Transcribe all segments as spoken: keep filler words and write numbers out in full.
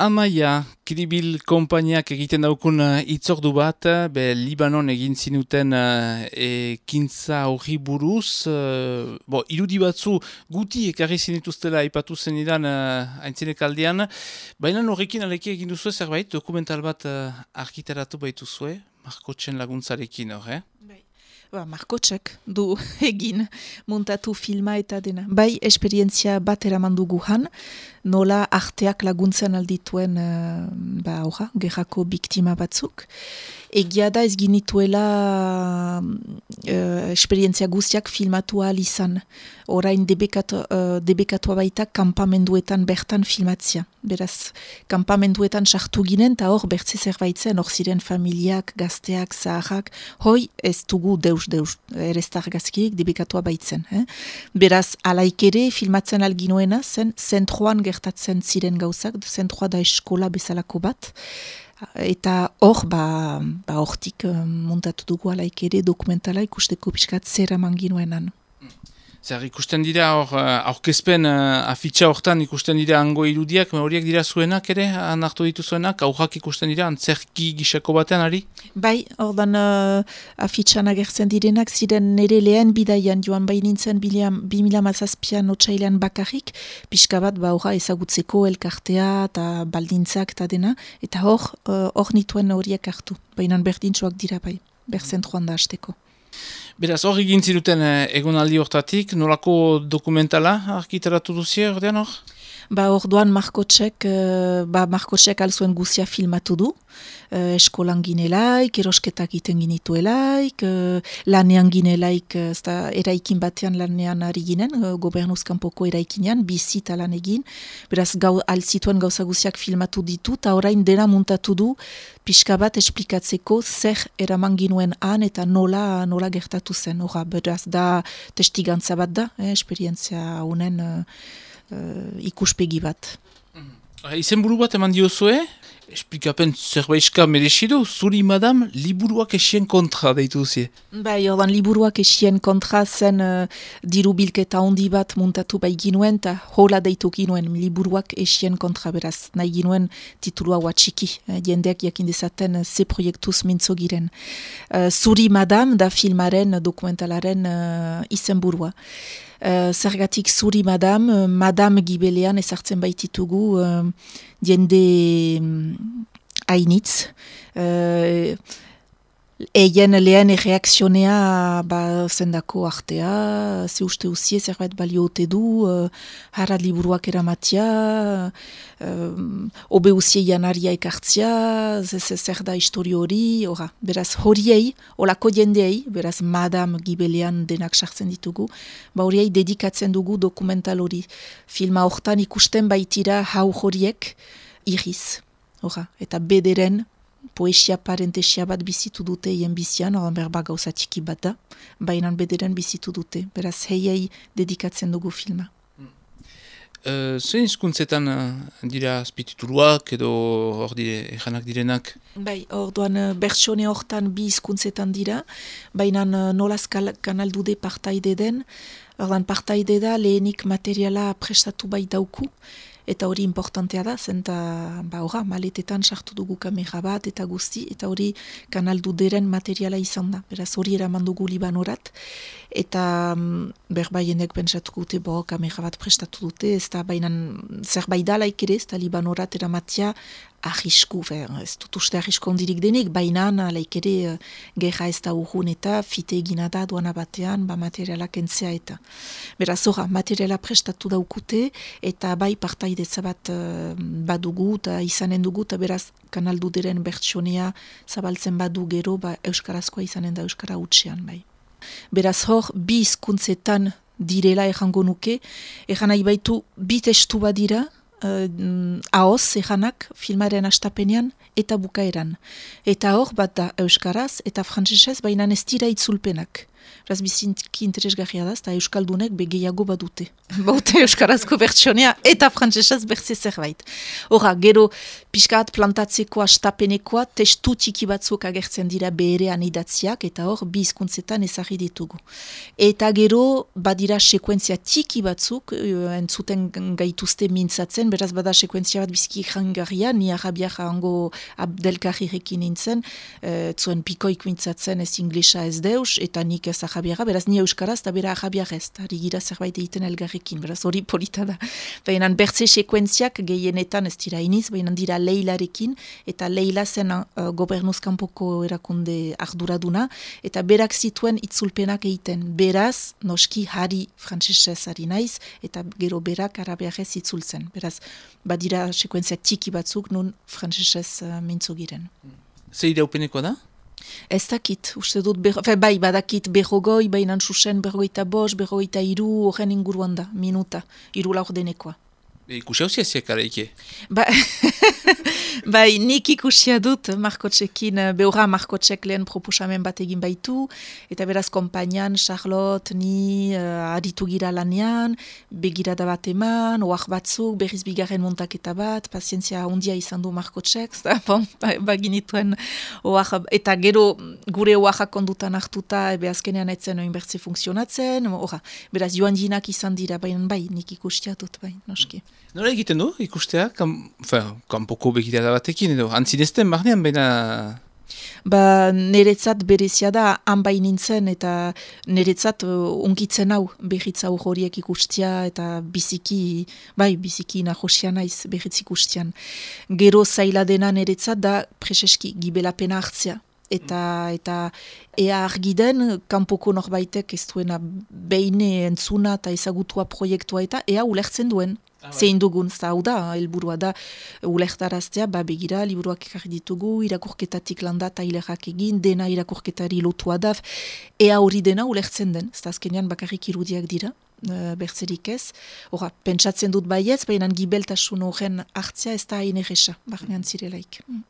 Amaia, Kribil konpainiak egiten daukun itzordu bat, be Libanon egin zinuten ekintza horri buruz, uh, bo, irudi batzu guti ekarri zinituztela aipatu zenidan uh, aintzinek aldean, baina horrekin aleki egin duzue zerbait, dokumental bat uh, argitaratu baituzue, Markotxen laguntzarekin hor, eh? Ba, Markotxek du egin muntatu filma eta dena. Bai, esperientzia bat eraman dugu han, nola arteak laguntzen aldituen uh, ba, orra, gerrako biktima batzuk. Egia da ez ginituela uh, esperientzia guztiak filmatu ahal izan. Orain debekatu, uh, debekatua baita kampamenduetan bertan filmatzia. Beraz, kampamenduetan sartu ginen, eta hor bertze zerbaitzen, hor ziren familiak, gazteak, zaharrak, hoi ez dugu deus, deus, ereztar gazkirik debekatua baitzen. Eh? Beraz, alaik ere filmatzen alginoena, zen zentroan gertatzen ziren gauzak, zentroa da eskola bezalako bat, eta hor, ba, ba hortik uh, montatu dugu alaik ere dokumentala ikusteko pixkat zer eman ginoenan. Zer, ikusten dira hor, aurkezpen uh, afitxa hortan ikusten dira hango irudiak, horiek dira zuenak ere, anartu dituzuenak, aurrak ikusten dira, antzerki gisako batean, ari? Bai, ordan uh, afitxan agertzen direnak, ziren nire lehen bidaian joan bai nintzen bi mila mazazpian otsailean bakarrik, pixka bat ba horra ezagutzeko elkartea eta baldintzak eta dena, eta hor, uh, hor nituen horiek hartu, baina berdintxoak dira bai, berzentroan da hasteko. Beraz, hor egin ziruten egonaldi hortatik, nolako dokumentala argitaratu duzie ordean hor? Ba, orduan Markotxek, uh, ba, Markotxek alzuen guzia filmatu du, uh, eskolan ginelaik, erosketak iten ginituelaik, uh, lanean ginelaik, uh, eraikin batean lanean ari ginen, uh, gobernuzkanpoko eraikinean, bizita lan egin, beraz, gau, alzituen gauza guziak filmatu ditu, eta orain dena muntatu du, pixka bat esplikatzeko zer eraman ginuen han eta nola, nola gertatu zen, ora, beraz, da testigantza bat da, eh, esperientzia honen, uh, Uh, ikuspegi bat. Mm-hmm. Izen buru bat eman diozue, esplikapen zerbaizka merezidu, zuri madam, liburuak esien kontra deitu duzie. Bai, ordan liburuak esien kontra zen uh, diru bilketa handi bat muntatu bai ginuen, eta hola deitu ginuen liburuak esien kontra beraz, nahi ginuen titulua watxiki, eh, jendeak jakin dezaten uh, ze proiektuz mintzo giren. Uh, zuri madam da filmaren, dokumentalaren uh, izen burua. Uh, zergatik zuri madam, uh, madam gibelean ezartzen baititugu uh, jende um, hainitz. Uh, Eien lehen erreakzionea ba, zendako artea, ze uste uzie zerbait balio ote du, uh, harrat liburuak eramatia, uh, obe uzie janaria ekartzia, zer da historio hori, ora, beraz horiei, olako jendeei, beraz madam gibelean denak sartzen ditugu, ba horiei dedikatzen dugu dokumental hori. Filma hortan ikusten baitira hau horiek iriz, ora, eta bederen, poesia parentesia bat bizitu dute hien bizian, oran berba gauza txiki bat da, baina bederen bizitu dute, beraz heiei dedikatzen dugu filma. Uh, Zein hizkuntzetan uh, dira azpitituluak edo hor dire, ejanak direnak? Bai, orduan uh, bertsone hortan bi hizkuntzetan dira, baina uh, nolaz kanaldude partaide den, orduan partaide da lehenik materiala prestatu bai dauku, eta hori importantea da, zenta ba, ora, maletetan sartu dugu kamera bat eta guzti, eta hori kanalduderen materiala izan da. Beraz hori eraman dugu Libanorat, eta um, berbaiendek pentsatuko dute, bo, kamera bat prestatu dute, ez da bainan zerbait da laik ere, ez da Libanorat eramatia arrisku, fer, ez dut uste arrisku ondirik denik, bainan laik ere uh, gerra ez da urrun eta fite egina da duana batean, ba materiala kentzea eta. Beraz ora, materiala prestatu daukute, eta bai partaidetza bat uh, badugu, eta izanen dugu, eta beraz kanalduderen bertsonea zabaltzen badu gero, ba euskarazkoa izanen da euskara utxean bai. Beraz hor, bi hizkuntzetan direla errango nuke, erran nahi baitu bi testu badira, uh, ahoz erranak filmaren astapenean eta bukaeran. Eta hor bat da euskaraz eta frantsesez baina ez dira itzulpenak. Beraz, biziki interesgarria da, eta Euskaldunek begeiago badute. Baute Euskarazko bertsionea eta frantsesez bertze zerbait. Hora, gero, pixkat plantatzeko astapenekoa, testu txiki batzuk agertzen dira beherean idatziak, eta hor, bi hizkuntzetan ezarri ditugu. Eta gero, badira sekuentzia txiki batzuk, entzuten gaituzte mintzatzen, beraz bada sekuentzia bat biziki jangarria, ni arabiak hango abdelkarrirekin nintzen, e, zuen pikoik mintzatzen ez inglesa ez deus, eta nik ez arabiara, beraz ni euskaraz, eta bera arabiak ez, eta rigira zerbait egiten elgarrekin, beraz hori polita da. Baina bertze sekuentziak gehienetan ez dira iniz, baina dira Leilarekin, eta Leila zen uh, gobernuzkanpoko erakunde arduraduna, eta berak zituen itzulpenak egiten. Beraz, noski hari frantsesez ari naiz, eta gero berak arabiarez itzultzen. Beraz, badira sekuentziak txiki batzuk nun frantsesez uh, mintzo giren. Ze iraupenekoa da? Ez dakit, uste dut, berro, fe, bai, badakit berrogoi, bainan susen berrogeita bost, berrogeita iru, horren inguruan da, minuta, iru laurdenekoa. Ikusi hausia ziak araike? Ba, bai, nik ikusia dut Markotxekin, behorra Markotxek lehen proposamen bat egin baitu, eta beraz kompainan, Charlotte, ni uh, aditu gira lanean, begirada bat eman, oak batzuk, berriz bigarren montaketa bat, pazientzia handia izan du Markotxek, bon, baginituen oak, eta gero gure oakak kondutan hartuta, ebe azkenean etzen oin bertze funtzionatzen, orra, beraz joan jinak izan dira, baina bai, nik ikusia dut, bai, noski. Nola egiten du ikustea? Kam, enfin, kanpoko begirada batekin edo, antzinezten barnean, baina... Ba, niretzat berezia da, han bai nintzen, eta niretzat uh, unkitzen hau, berritza horiek ikustia, eta biziki, bai, biziki nahosia naiz berritz ikustian. Gero zaila dena niretzat da, preseski, gibelapena hartzea. Eta, eta ea argi den, kanpoko norbaitek ez duena beine entzuna eta ezagutua proiektua eta ea ulertzen duen. Ah, zein dugun, zau da, helburua da, ulertaraztea, ba begira, liburuak ekarri ditugu, irakurketatik landa eta hilerak egin, dena irakurketari lotua da, ea hori dena ulertzen den, ez da azkenean bakarrik irudiak dira, uh, bertzerik ez. Hora, pentsatzen dut baietz, baina gibeltasun horren hartzea ez da hain erresa, barnean zirelaik. Mm.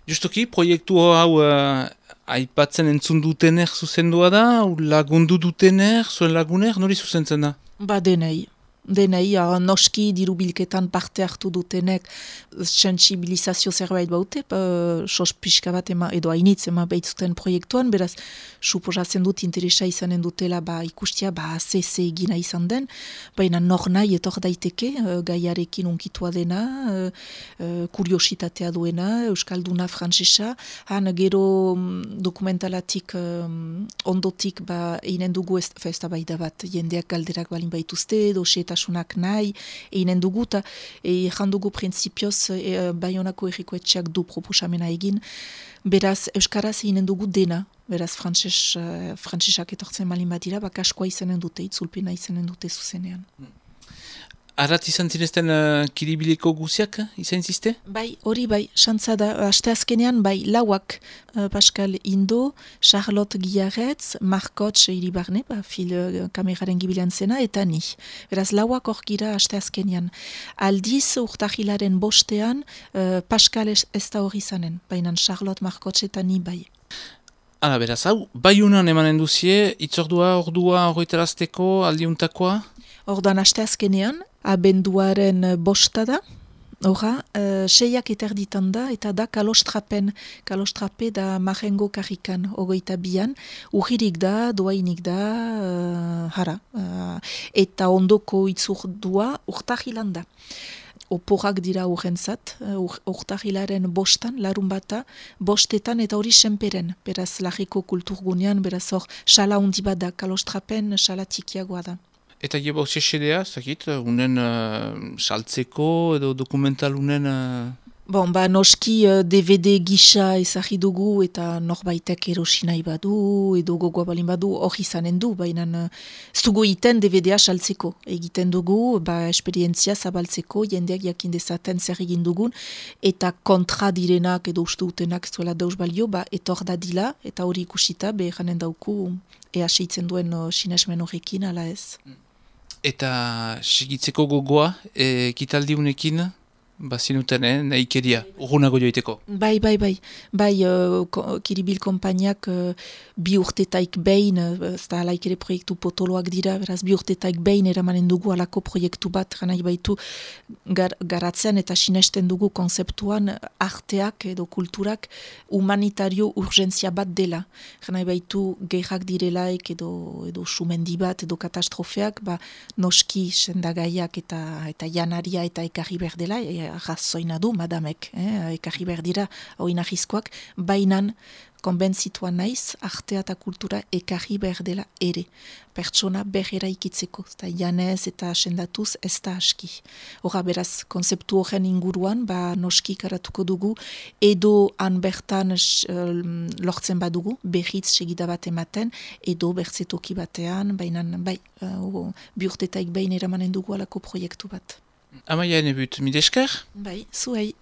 Justoki, proiektu hau uh, aipatzen entzun dutener zuzendua da, lagundu dutener, zuen laguner, nori zuzentzen da? Ba denei. Denei, noski dirubilketan parte hartu dutenek sensibilizazio zerbait baute, uh, sos pixka bat ema, edo hainitz ema behitzuten proiektuan, beraz, suposatzen dut interesa izanen dutela ba, ikustia, ba, ze ze egina izan den, baina nor nahi etor daiteke, uh, gaiarekin unkitua dena, uh, uh, kuriositatea duena, euskalduna frantsesa, han gero um, dokumentalatik um, ondotik ba, einen dugu ez, ez da bai da bat, jendeak galderak balin baituzte, doseeta sunak nahi, einen dugu, eta e, jandugu prinsipioz e, Baionako erriko etxeak du proposamena egin, beraz Euskaraz einen dugu dena, beraz frantses, uh, frantsesak etortzen malin bat dira, bakaskoa izanen dute, itzulpena izanen dute zuzenean. Arrat izan zinezten uh, kiribileko guziak izan ziste? Bai, hori bai, xantza da, aste azkenean, bai, lauak uh, Pascal Indo, Charlotte Giarretz, Markotx iribarne, ba, fil uh, kameraren gibilean zena, eta ni. Beraz, lauak hor gira aste azkenean. Aldiz, urtahilaren bostean, uh, Pascal ez, ez da hori izanen, baina Charlotte, Markotx eta ni bai. Hala, beraz, hau, Baiunan emanen duzie, itzordua, ordua, horretarazteko, aldiuntakoa? Ordan aste azkenean, abenduaren bosta da, horra, uh, seiak eterditan da, eta da kalostrapen, kalostrape da marengo karrikan, ogoita bian, urririk da, doainik da, uh, hara, uh, eta ondoko itzurdua urtahilan da. Oporak dira urrentzat, ur, urtahilaren bostan, larun bata, bostetan eta hori senperen, beraz lagiko kulturgunean, beraz hor, xala hundi bat da, kalostrapen xala tikiagoa da. Eta jeba hausia xedea, zakit, unen uh, saltzeko edo dokumental unen... Uh... Bon, ba, noski uh, D V D gisa ezagri dugu eta norbaitek erosi nahi badu edo gogoa balin badu hori izanen du, baina uh, ez dugu iten D V D-a saltzeko. Egiten dugu, ba, esperientzia zabaltzeko, jendeak jakin dezaten zer egin dugun, eta kontra direnak edo uste utenak zuela dauz balio, ba, etor dadila, eta hori ikusita, behanen dauku, ea seitzen duen uh, sinesmen horrekin, ala ez. Eta segitzeko gogoa, e, kitaldi unekin? bazinuten, eh, nahikeria, urgunago joiteko. Bai, bai, bai. Bai, uh, ko, Kiribil konpainiak uh, bi urtetaik behin, uh, ez da alaik ere proiektu potoloak dira, beraz bi urtetaik behin eramanen dugu alako proiektu bat, ganai baitu gar, garatzen eta sinesten dugu konzeptuan arteak edo kulturak humanitario urgentzia bat dela. Ganai baitu gerrak direlaik edo, edo sumendi bat edo katastrofeak, ba, noski sendagaiak eta, eta janaria eta ekarri berdela, e, razoina du, madamek, eh, ekarri berdira hau inahizkoak, bainan konbentzituan naiz, artea eta kultura ekarri berdela ere. Pertsona berrera ikitzeko, eta janez eta sendatuz ez da aski. Hora beraz, konzeptu horren inguruan, ba noski karatuko dugu, edo han bertan uh, lortzen badugu, berriz segida bat ematen, edo bertzetoki batean, bainan, bai, uh, bi urtetaik behin eramanen dugu alako proiektu bat. Amaia enebut, mide esker? Bai, zuei.